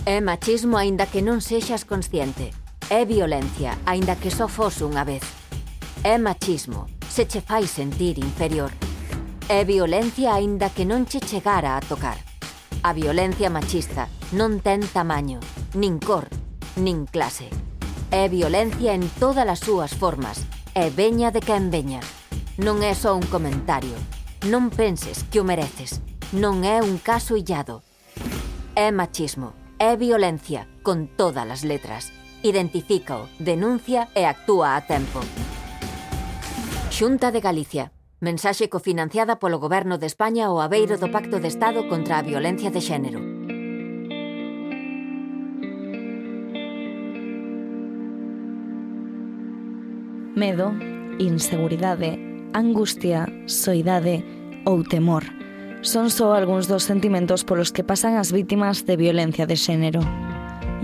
É machismo aínda que non sexas consciente. É violencia aínda que só fose unha vez. É machismo se che fai sentir inferior. É violencia aínda que non che chegara a tocar. A violencia machista non ten tamaño, nin cor, nin clase. É violencia en todas as súas formas, e veña de quen veña. Non é só un comentario. Non penses que o mereces. Non é un caso illado. É machismo, é violencia, con todas as letras. Identifícao, denuncia e actúa a tempo. Xunta de Galicia. Mensaxe cofinanciada polo Goberno de España ao abeiro do Pacto de Estado contra a Violencia de Xénero. Medo, inseguridade, angustia, soidade ou temor son só algúns dos sentimentos polos que pasan as vítimas de violencia de xénero.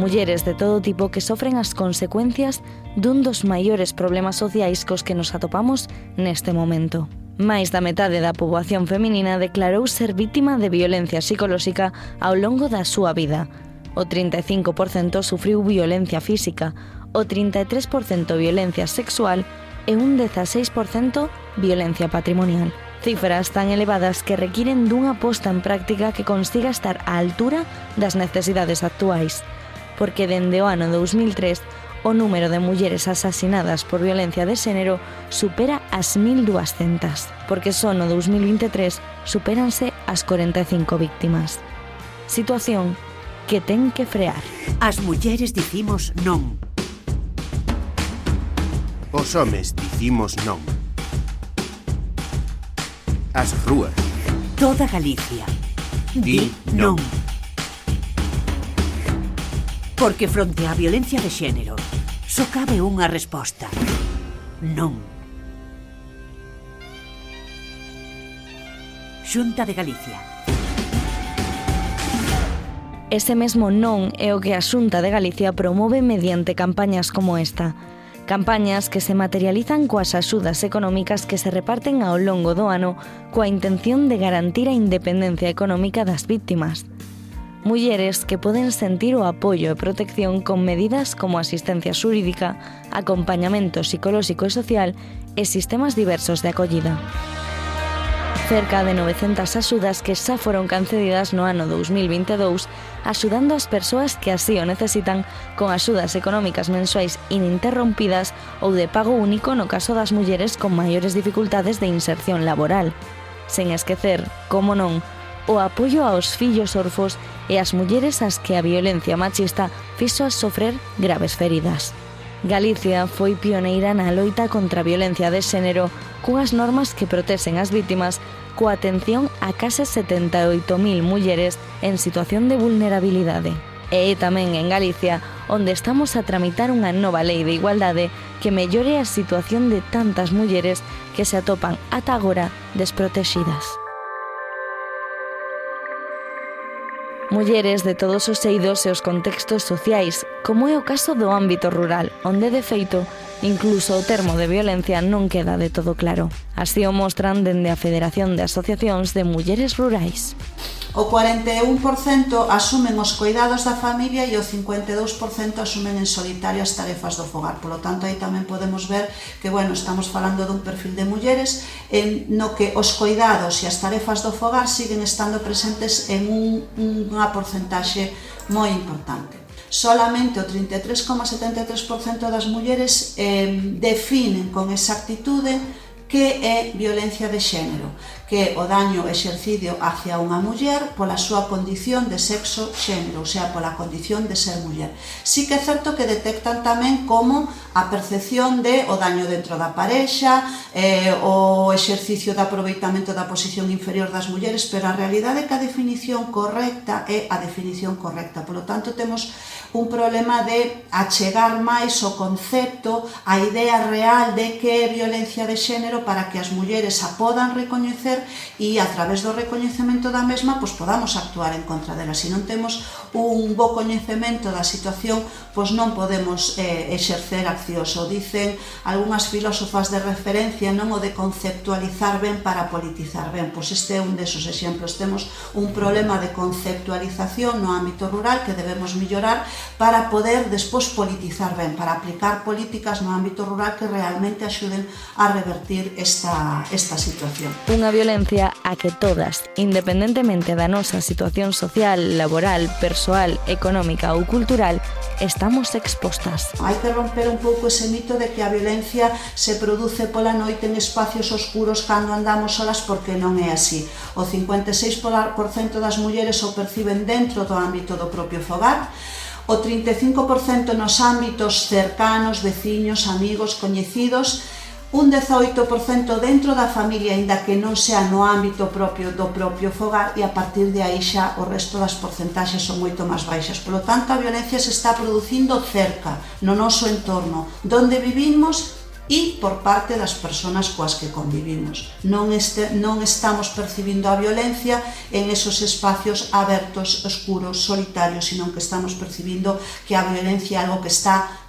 Mulleres de todo tipo que sofren as consecuencias dun dos maiores problemas sociais cos que nos atopamos neste momento. Máis da metade da poboación feminina declarou ser vítima de violencia psicolóxica ao longo da súa vida. O 35% sufriu violencia física, o 33% violencia sexual e un 16% violencia patrimonial. Cifras tan elevadas que requiren dunha posta en práctica que consiga estar á altura das necesidades actuais. Porque dende o ano 2003, o número de mulleres asasinadas por violencia de xénero supera as 1.200, porque só no 2023 supéranse as 45 víctimas. Situación que ten que frear. As mulleres dicimos non. Os homes dicimos non. As rúas. Toda Galicia di non. Porque fronte á violencia de xénero só cabe unha resposta: non. Xunta de Galicia. Ese mesmo non é o que a Xunta de Galicia promove mediante campañas como esta. Campañas que se materializan coas axudas económicas que se reparten ao longo do ano coa intención de garantir a independencia económica das vítimas. Mulleres que poden sentir o apoio e protección con medidas como asistencia xurídica, acompañamento psicolóxico e social e sistemas diversos de acollida. Cerca de 900 axudas que xa foron concedidas no ano 2022, axudando as persoas que así o necesitan con axudas económicas mensuais ininterrompidas ou de pago único no caso das mulleres con maiores dificultades de inserción laboral. Sen esquecer, como non, o apoio aos fillos orfos e ás mulleres ás que a violencia machista fixo sofrer graves feridas. Galicia foi pioneira na loita contra a violencia de xénero cunhas normas que protexen as vítimas coa atención a case 78.000 mulleres en situación de vulnerabilidade. E é tamén en Galicia onde estamos a tramitar unha nova lei de igualdade que mellore a situación de tantas mulleres que se atopan ata agora desprotexidas. Mulleres de todos os eidos e os contextos sociais, como é o caso do ámbito rural, onde, de feito, incluso o termo de violencia non queda de todo claro. Así o mostran dende a Federación de Asociacións de Mulleres Rurais. O 41% asumen os cuidados da familia e o 52% asumen en solitario as tarefas do fogar. Por lo tanto, aí tamén podemos ver que, estamos falando dun perfil de mulleres no que os cuidados e as tarefas do fogar siguen estando presentes en unha porcentaxe moi importante. Solamente o 33,73% das mulleres definen con exactitude que é violencia de xénero, que é o daño exercido hacia unha muller pola súa condición de sexo xénero, ou sea, pola condición de ser muller. Sí que é certo que detectan tamén como a percepción de o daño dentro da parexa, o exercicio de aproveitamento da posición inferior das mulleres, pero a realidade é que a definición correcta é a definición correcta. Por lo tanto, temos un problema de achegar máis o concepto, a idea real de que é violencia de xénero para que as mulleres a podan recoñecer recoñecer e a través do recoñecemento da mesma pois podamos actuar en contra dela. Se non temos un bo coñecemento da situación, pois non podemos exercer accións. O dicen algunhas filósofas de referencia, non o de conceptualizar ben para politizar ben. Pois este é un desos exemplos. Temos un problema de conceptualización no ámbito rural que debemos mellorar para poder despois politizar ben, para aplicar políticas no ámbito rural que realmente axuden a revertir esta situación. Unha violencia a que todas, independentemente da nosa situación social, laboral, persoal, económica ou cultural, estamos expostas. Hai que romper un pouco ese mito de que a violencia se produce pola noite en espacios oscuros cando andamos solas, porque non é así. O 56% das mulleres o perciben dentro do ámbito do propio fogar, o 35% nos ámbitos cercanos, veciños, amigos, coñecidos, un 18% dentro da familia, aínda que non sea no ámbito propio do propio fogar, e a partir de aí xa o resto das porcentaxes son moito máis baixas. Por lo tanto, a violencia se está producindo cerca, no noso entorno, donde vivimos e por parte das persoas coas que convivimos. Non estamos percibindo a violencia en esos espacios abertos, oscuros, solitarios, sino que estamos percibindo que a violencia é algo que está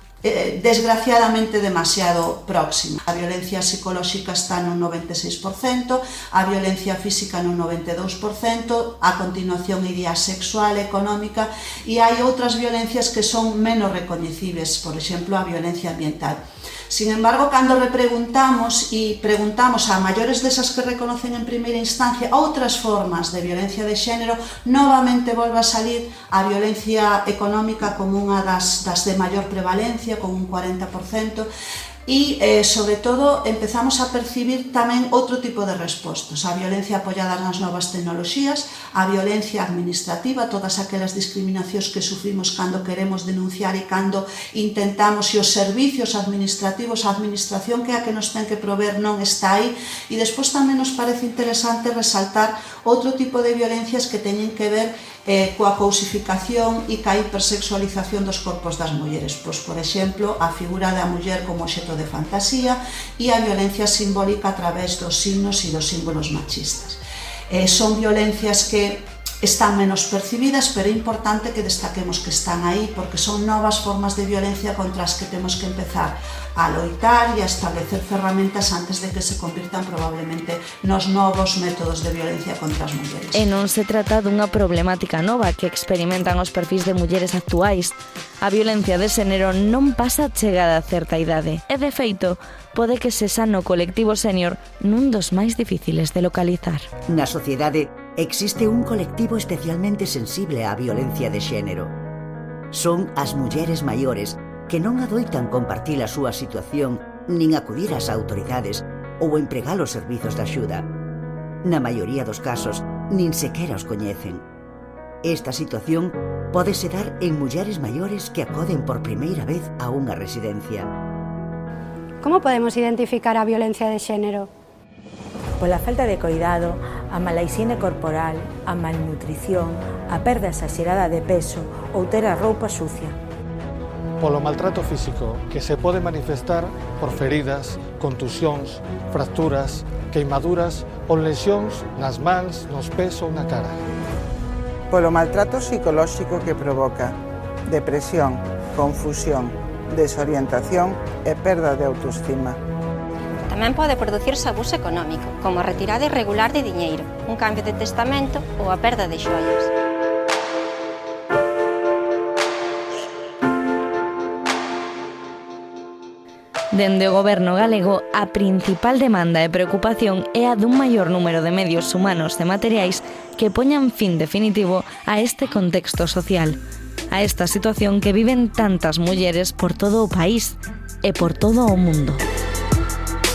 desgraciadamente demasiado próxima. A violencia psicolóxica está no 96%, a violencia física no 92%, a continuación iría sexual, económica, e hai outras violencias que son menos recoñecibles, por exemplo, a violencia ambiental. Sin embargo, cando repreguntamos e preguntamos a maiores desas que reconocen en primeira instancia outras formas de violencia de xénero, novamente volve a salir a violencia económica como unha das de maior prevalencia, con un 40%, e, sobre todo, empezamos a percibir tamén outro tipo de respostas. A violencia apoiada nas novas tecnoloxías, a violencia administrativa, todas aquelas discriminacións que sufrimos cando queremos denunciar e cando intentamos, e os servicios administrativos, a administración que é a que nos ten que prover non está aí. E despois tamén nos parece interesante resaltar outro tipo de violencias que teñen que ver coa cousificación e coa hipersexualización dos corpos das mulleres. Pois, por exemplo, a figura da muller como obxecto de fantasía e a violencia simbólica a través dos signos e dos símbolos machistas. Son violencias que están menos percibidas, pero é importante que destaquemos que están aí, porque son novas formas de violencia contra as que temos que empezar a loitar e a establecer ferramentas antes de que se convirtan probablemente nos novos métodos de violencia contra as mulleres. E non se trata dunha problemática nova que experimentan os perfis de mulleres actuais. A violencia de xénero non pasa a chegada a certa idade e, de feito, pode que sexa no colectivo sénior nun dos máis difíciles de localizar. Na sociedade existe un colectivo especialmente sensible á violencia de xénero. Son as mulleres maiores que non adoitan compartir a súa situación nin acudir ás autoridades ou empregar os servizos de axuda. Na maioría dos casos, nin sequera os coñecen. Esta situación pódese dar en mulleres maiores que acoden por primeira vez a unha residencia. Como podemos identificar a violencia de xénero? Pola falta de coidado, a mala hixiene corporal, a malnutrición, a perda exagerada de peso ou ter a roupa sucia. Polo maltrato físico, que se pode manifestar por feridas, contusións, fracturas, queimaduras ou lesións nas mans, nos pés ou na cara. Polo maltrato psicolóxico que provoca depresión, confusión, desorientación e perda de autoestima. Tamén pode producirse abuso económico, como a retirada irregular de diñeiro, un cambio de testamento ou a perda de xoias. Dende o Goberno galego, a principal demanda e preocupación é a dun maior número de medios humanos e materiais que poñan fin definitivo a este contexto social, a esta situación que viven tantas mulleres por todo o país e por todo o mundo.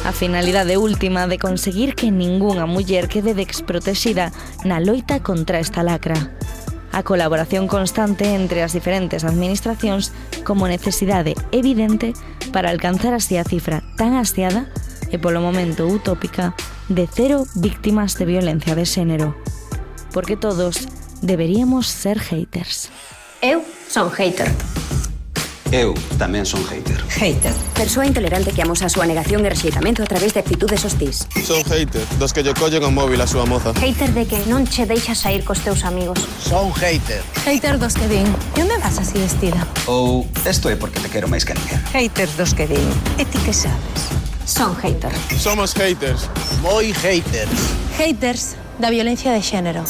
A finalidade última de conseguir que ningunha muller quede desprotexida na loita contra esta lacra. A colaboración constante entre as diferentes administracións como necesidade evidente para alcanzar así a cifra tan ansiada e polo momento utópica de 0 víctimas de violencia de xénero. Porque todos deberíamos ser haters. Eu son hater. Eu tamén son hater. Hater. Persoa intolerante que amosa a súa negación e rexeitamento a través de actitudes hostís. Son hater, dos que lle collen o móvil a súa moza. Hater de que non che deixas sair cos teus amigos. Son hater. Hater dos que din, e onde vas así vestida? Ou, isto é porque te quero máis que ninguén. Haters dos que din, e ti que sabes? Son hater. Somos haters. Moi haters. Haters da violencia de xénero.